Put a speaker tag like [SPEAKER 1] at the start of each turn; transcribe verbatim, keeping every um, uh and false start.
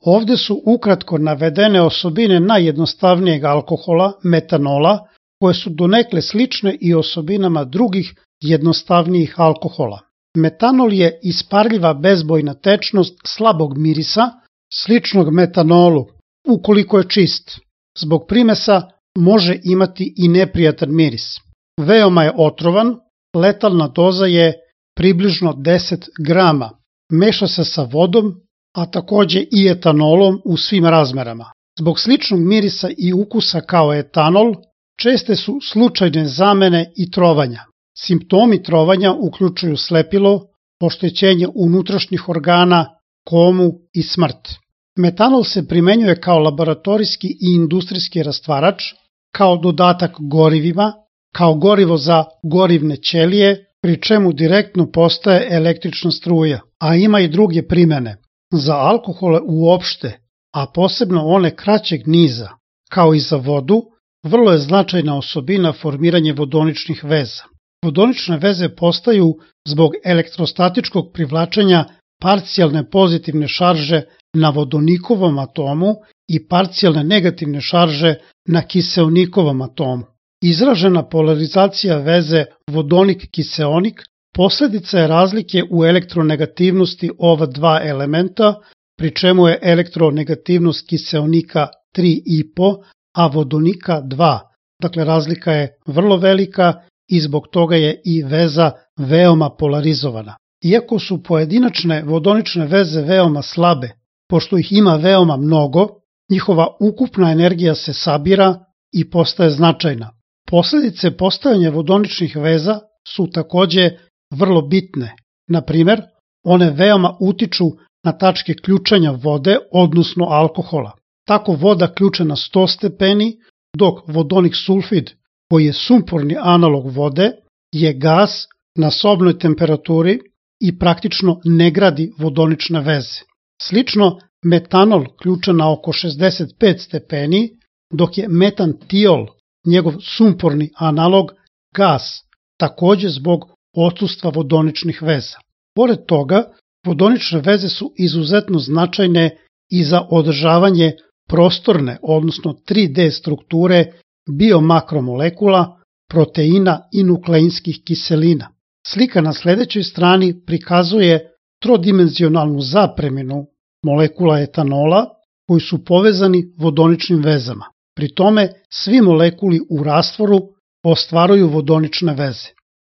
[SPEAKER 1] Ovde su ukratko navedene osobine najjednostavnijeg alkohola, metanola, koje su donekle slične i osobinama drugih jednostavnijih alkohola. Metanol je isparljiva bezbojna tečnost slabog mirisa, sličnog metanolu, ukoliko je čist. Zbog primesa može imati i neprijatan miris. Veoma je otrovan, letalna doza je približno deset grama. Meša se sa vodom, a takođe i etanolom u svim razmerama. Zbog sličnog mirisa i ukusa kao etanol, česte su slučajne zamene i trovanja. Simptomi trovanja uključuju slepilo, oštećenje unutrašnjih organa, komu i smrt. Metanol se primenjuje kao laboratorijski i industrijski rastvarač, kao dodatak gorivima, kao gorivo za gorivne ćelije, pri čemu direktno postaje električna struja, a ima i druge primene. Za alkohole uopšte, a posebno one kraćeg niza, kao i za vodu, vrlo je značajna osobina formiranje vodoničnih veza. Vodonične veze postaju zbog elektrostatičkog privlačenja parcijalne pozitivne šarže na vodonikovom atomu i parcijalne negativne šarže na kiseonikovom atomu. Izražena polarizacija veze vodonik-kiseonik posledica je razlike u elektronegativnosti ova dva elementa, pri čemu je elektronegativnost kiseonika tri i po, a vodonika dva. Dakle, razlika je vrlo velika i zbog toga je i veza veoma polarizovana. Iako su pojedinačne vodonične veze veoma slabe, pošto ih ima veoma mnogo, njihova ukupna energija se sabira i postaje značajna. Posledice postojanja vodoničnih veza su takođe vrlo bitne. Na primer, one veoma utiču na tačke ključanja vode, odnosno alkohola. Tako voda ključa na sto stepeni, dok vodonik sulfid, koji je sumporni analog vode, je gas na sobnoj temperaturi i praktično ne gradi vodonične veze. Slično, metanol ključa na oko šezdeset pet stepeni, dok je metantiol, njegov sumporni analog, gas, takođe zbog odsustva vodoničnih veza. Pored toga, vodonične veze su izuzetno značajne i za održavanje prostorne, odnosno tri D strukture biomakromolekula, proteina i nukleinskih kiselina. Slika na sledećoj strani prikazuje trodimenzionalnu zapreminu molekula etanola koji su povezani vodoničnim vezama. Pri tome, svi molekuli u rastvoru ostvaruju vodonične veze.